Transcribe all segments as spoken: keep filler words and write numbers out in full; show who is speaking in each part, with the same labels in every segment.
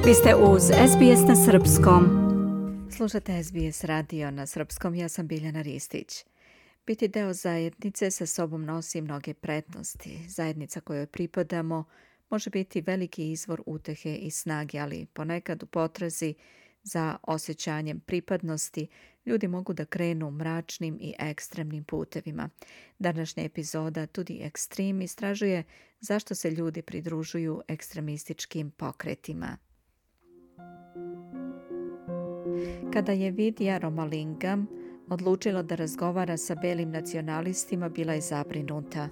Speaker 1: Vi ste uz S B S na srpskom. Slušate S B S radio na srpskom, ja sam Biljana Ristić. Biti deo zajednice sa sobom nosi mnoge prednosti. Zajednica kojoj pripadamo može biti veliki izvor utehe i snage, ali ponekad u potrazi za osjećanjem pripadnosti ljudi mogu da krenu mračnim i ekstremnim putevima. Današnja epizoda Tudi Ekstrem istražuje zašto se ljudi pridružuju ekstremističkim pokretima. Kada je Vidya Ramalingam odlučila da razgovara sa belim nacionalistima, bila je zabrinuta.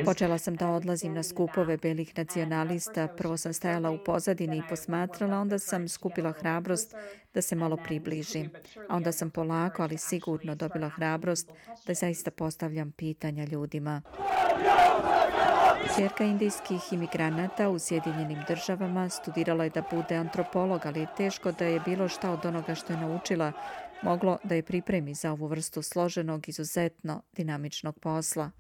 Speaker 1: Počela sam da odlazim na skupove belih nacionalista. Prvo sam stajala u pozadini i posmatrala, onda sam skupila hrabrost da se malo približim. A onda sam polako, ali sigurno dobila hrabrost da zaista postavljam pitanja ljudima. Ćerka indijskih imigranata u Sjedinjenim državama studirala je da bude antropolog, ali je teško da je bilo šta od onoga što je naučila moglo da je pripremi za ovu vrstu složenog, izuzetno dinamičnog posla.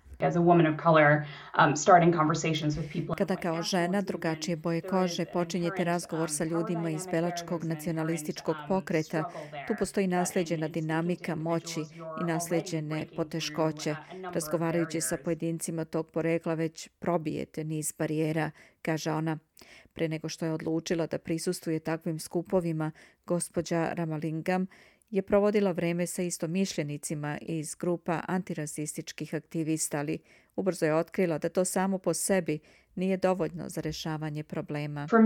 Speaker 1: Kada kao žena drugačije boje kože počinjete razgovor sa ljudima iz belačkog nacionalističkog pokreta, tu postoji naslijeđena dinamika moći i naslijeđene poteškoće. Razgovarajući sa pojedincima tog porekla već probijete niz barijera, kaže ona. Pre nego što je odlučila da prisustvuje takvim skupovima, gospođa Ramalingam je provodila vreme sa istomišljenicima iz grupa antirasističkih aktivista, ali ubrzo je otkrila da to samo po sebi nije dovoljno za rešavanje problema. Za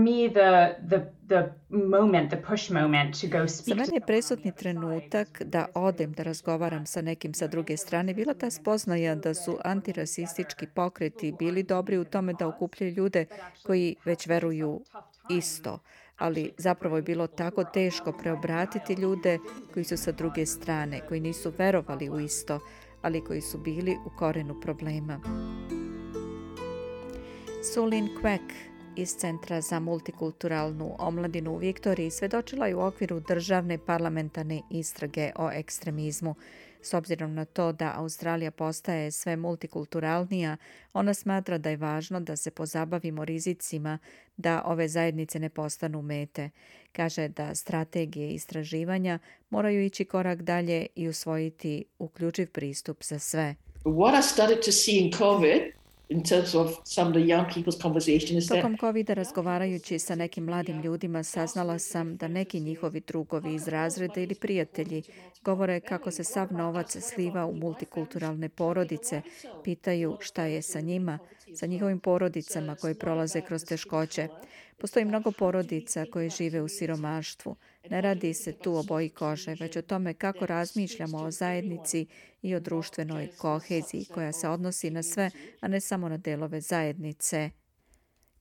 Speaker 1: mene je presudni trenutak da odem da razgovaram sa nekim sa druge strane bila ta spoznaja da su antirasistički pokreti bili dobri u tome da okupljaju ljude koji već veruju isto. Ali zapravo je bilo tako teško preobratiti ljude koji su sa druge strane, koji nisu verovali u isto, ali koji su bili u korenu problema. Sulin Quek iz Centra za multikulturalnu omladinu u Viktoriji svedočila je u okviru državne parlamentarne istrage o ekstremizmu. S obzirom na to da Australija postaje sve multikulturalnija, ona smatra da je važno da se pozabavimo rizicima da ove zajednice ne postanu mete. Kaže da strategije istraživanja moraju ići korak dalje i usvojiti uključiv pristup za sve.
Speaker 2: What I started to see in COVID in terms of some of the young people's conversation is that
Speaker 1: Tokom covida razgovarajući sa nekim mladim ljudima saznala sam da neki njihovi drugovi iz razreda ili prijatelji govore kako se sav novac sliva u multikulturalne porodice, pitaju šta je sa njima, sa njihovim porodicama koje prolaze kroz teškoće. Postoji mnogo porodica koje žive u siromaštvu. Ne radi se tu o boji kože, već o tome kako razmišljamo o zajednici i o društvenoj koheziji koja se odnosi na sve, a ne samo na delove zajednice.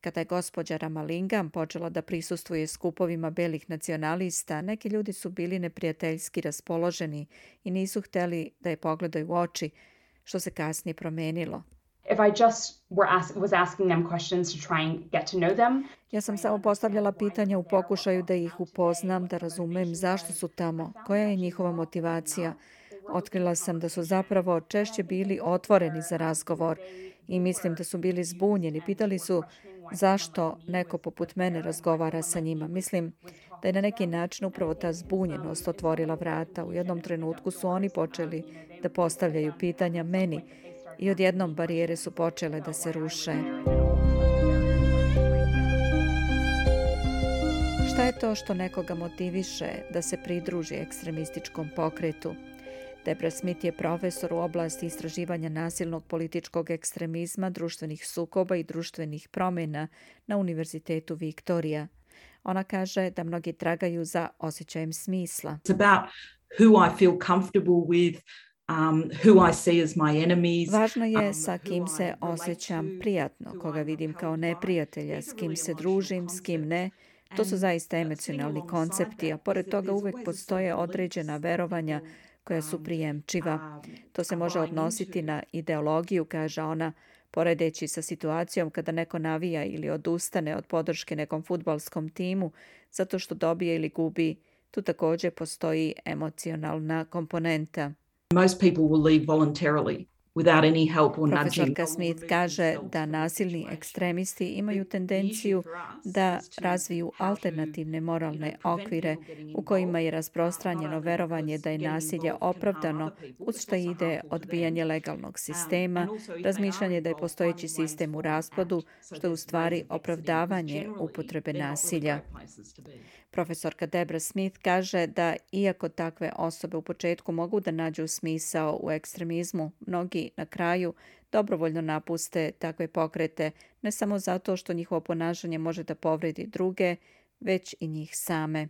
Speaker 1: Kada je gospođa Ramalingam počela da prisustvuje skupovima belih nacionalista, neki ljudi su bili neprijateljski raspoloženi i nisu hteli da je pogledaju u oči, što se kasnije promenilo.
Speaker 3: If I just were ask, was asking them questions to try and get to know them.
Speaker 1: Ja sam samo postavljala pitanja u pokušaju da ih upoznam, da razumem zašto su tamo, koja je njihova motivacija. Otkrila sam da su zapravo češće bili otvoreni za razgovor i mislim da su bili zbunjeni. Pitali su zašto neko poput mene razgovara sa njima. Mislim da je na neki način upravo ta zbunjenost otvorila vrata. U jednom trenutku su oni počeli da postavljaju pitanja meni i odjednom barijere su počele da se ruše. Šta je to što nekoga motiviše da se pridruži ekstremističkom pokretu? Debra Smith je profesor u oblasti istraživanja nasilnog političkog ekstremizma, društvenih sukoba i društvenih promjena na Univerzitetu Viktorija. Ona kaže da mnogi tragaju za osjećajem smisla.
Speaker 4: It's about who I feel comfortable with, Um, who I see as my enemies.
Speaker 1: Važno je sa kim se osjećam prijatno, koga vidim kao neprijatelja, s kim se družim, s kim ne. To su zaista emocionalni koncepti, a pored toga uvek postoje određena verovanja koja su prijemčiva. To se može odnositi na ideologiju, kaže ona, poredeći sa situacijom kada neko navija ili odustane od podrške nekom fudbalskom timu zato što dobije ili gubi. Tu također postoji emocionalna komponenta.
Speaker 4: Most people will leave voluntarily without any help or nudging.
Speaker 1: Profesorka Smith kaže da nasilni ekstremisti imaju tendenciju da razviju alternativne moralne okvire u kojima je rasprostranjeno verovanje da je nasilje opravdano, uz što ide odbijanje legalnog sistema, razmišljanje da je postojeći sistem u raspadu, što je u stvari opravdavanje upotrebe nasilja. Profesorka Debra Smith kaže da iako takve osobe u početku mogu da nađu smisao u ekstremizmu, mnogi na kraju dobrovoljno napuste takve pokrete, ne samo zato što njihovo ponašanje može da povredi druge, već i njih same.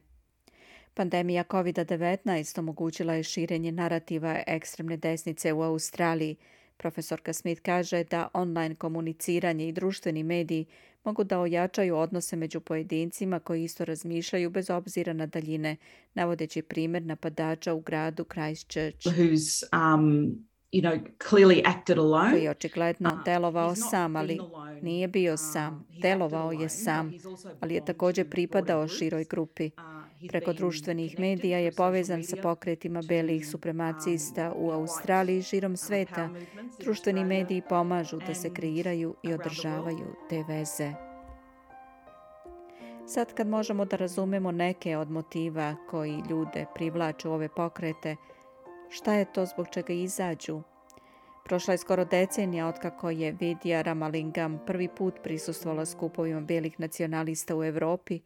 Speaker 1: Pandemija kovid devetnaest omogućila je širenje narativa ekstremne desnice u Australiji. Profesorka Smith kaže da online komuniciranje i društveni mediji mogu da ojačaju odnose među pojedincima koji isto razmišljaju bez obzira na daljine, navodeći primjer napadača u gradu Christchurch.
Speaker 4: Who's, um, you know, clearly acted alone.
Speaker 1: Koji je očigledno delovao sam, ali nije bio sam. Delovao je sam, ali je također pripadao široj grupi. Preko društvenih medija je povezan sa pokretima belih supremacista u Australiji i širom sveta. Društveni mediji pomažu da se kreiraju i održavaju te veze. Sad kad možemo da razumemo neke od motiva koji ljude privlače u ove pokrete, šta je to zbog čega izađu? Prošla je skoro decenija otkako je Vidya Ramalingam prvi put prisustvovala skupovima belih nacionalista u Evropi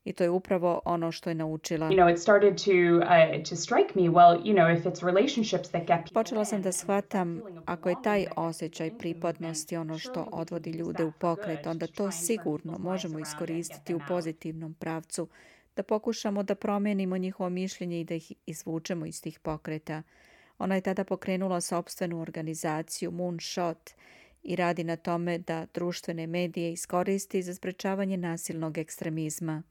Speaker 1: i to je upravo ono što je naučila.
Speaker 3: You know, it started to uh, to strike me, well, you know, if it's relationships that get people.
Speaker 1: Počela sam da shvatam, ako je taj osjećaj pripadnosti ono što odvodi ljude u pokret, onda to sigurno možemo iskoristiti u pozitivnom pravcu, da pokušamo da promijenimo njihovo mišljenje i da ih izvučemo iz tih pokreta. Ona je tada pokrenula sopstvenu organizaciju Moonshot i radi na tome da društvene medije iskoristi za sprečavanje nasilnog ekstremizma.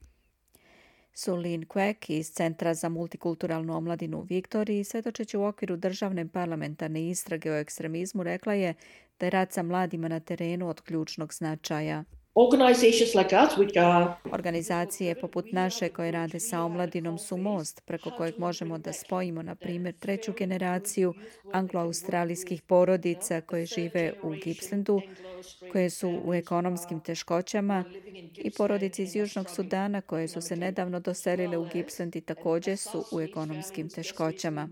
Speaker 1: Sulin Quek iz Centra za multikulturalnu omladinu u Viktoriji, svjedočeći u okviru državne parlamentarne istrage o ekstremizmu, rekla je da je rad sa mladima na terenu od ključnog značaja.
Speaker 2: Organizations like us, which are
Speaker 1: Organizacije poput naše koje rade sa omladinom su most preko kojeg možemo da spojimo, na primjer, treću generaciju anglo-australijskih porodica koje žive u Gippslandu, koje su u ekonomskim teškoćama, i porodice iz Južnog Sudana koje su se nedavno doselile u Gippsland i također su u ekonomskim teškoćama.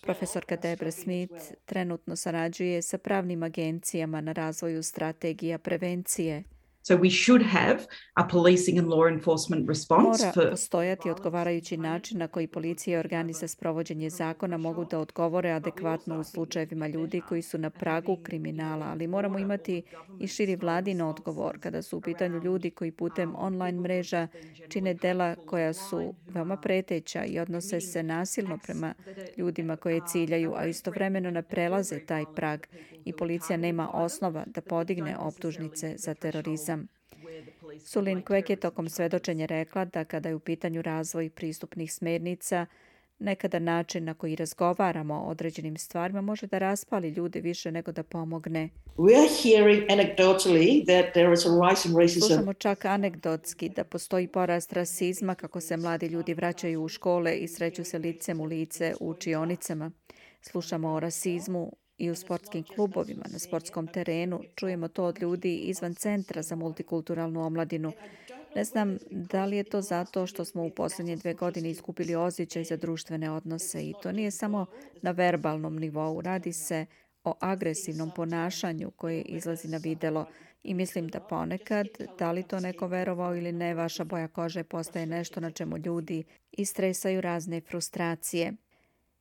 Speaker 1: Profesorka Debra Smith trenutno sarađuje sa pravnim agencijama na razvoju strategija prevencije.
Speaker 4: So we should have a policing and law enforcement response
Speaker 1: Mora
Speaker 4: for
Speaker 1: postojati odgovarajući način na koji policija i organi za sprovođenje zakona mogu da odgovore adekvatno u slučajevima ljudi koji su na pragu kriminala, ali moramo imati i širi vladin odgovor kada su u pitanju ljudi koji putem online mreža čine dela koja su veoma preteća i odnose se nasilno prema ljudima koje ciljaju, a istovremeno ne prelaze taj prag i policija nema osnova da podigne optužnice za terorizam. Sulin Quek je tokom svedočenja rekla da kada je u pitanju razvoj pristupnih smjernica, nekada način na koji razgovaramo o određenim stvarima može da raspali ljude više nego da pomogne.
Speaker 2: we are hearing anecdotally that there is a rise in racism.
Speaker 1: Slušamo čak anegdotski da postoji porast rasizma kako se mladi ljudi vraćaju u škole i sreću se licem u lice u učionicama. Slušamo o rasizmu i u sportskim klubovima, na sportskom terenu. Čujemo to od ljudi izvan Centra za multikulturalnu omladinu. Ne znam da li je to zato što smo u posljednje dve godine iskupili osjećaj za društvene odnose i to nije samo na verbalnom nivou. Radi se o agresivnom ponašanju koje izlazi na videlo i mislim da ponekad, da li to neko verovao ili ne, vaša boja kože postaje nešto na čemu ljudi istresaju razne frustracije.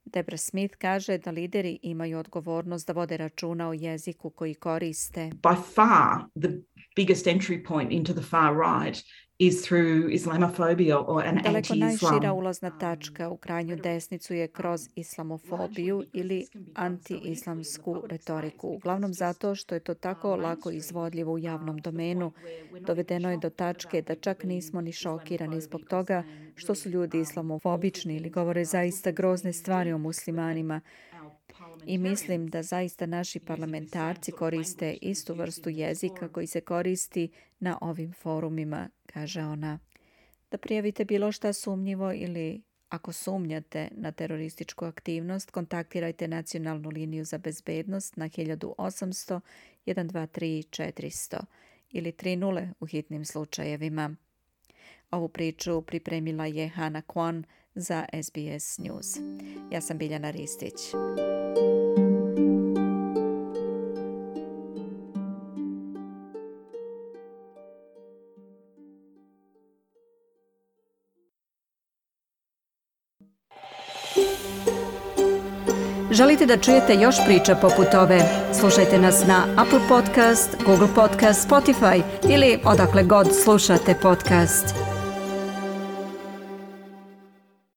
Speaker 1: Debra Smith kaže da lideri imaju odgovornost da vode računa o jeziku koji koriste.
Speaker 4: by far the biggest entry point into the far right is through Islamophobia or an
Speaker 1: Daleko najšira
Speaker 4: anti-Islam.
Speaker 1: ulazna tačka u krajnju desnicu je kroz islamofobiju ili anti-islamsku retoriku. Uglavnom zato što je to tako lako izvodljivo u javnom domenu. Dovedeno je do tačke da čak nismo ni šokirani zbog toga što su ljudi islamofobični ili govore zaista grozne stvari o muslimanima. I mislim da zaista naši parlamentarci koriste istu vrstu jezika koji se koristi na ovim forumima, kaže ona. Da prijavite bilo šta sumnjivo ili Ako sumnjate na terorističku aktivnost, kontaktirajte nacionalnu liniju za bezbednost na hiljadu osamsto, jedan dva tri, četiristo ili tri nula u hitnim slučajevima. Ovu priču pripremila je Hana Kwon za S B S News. Ja sam Biljana Ristić. Želite da čujete još priča poput ove? Slušajte nas na Apple Podcast, Google Podcast, Spotify ili odakle god slušate podcast.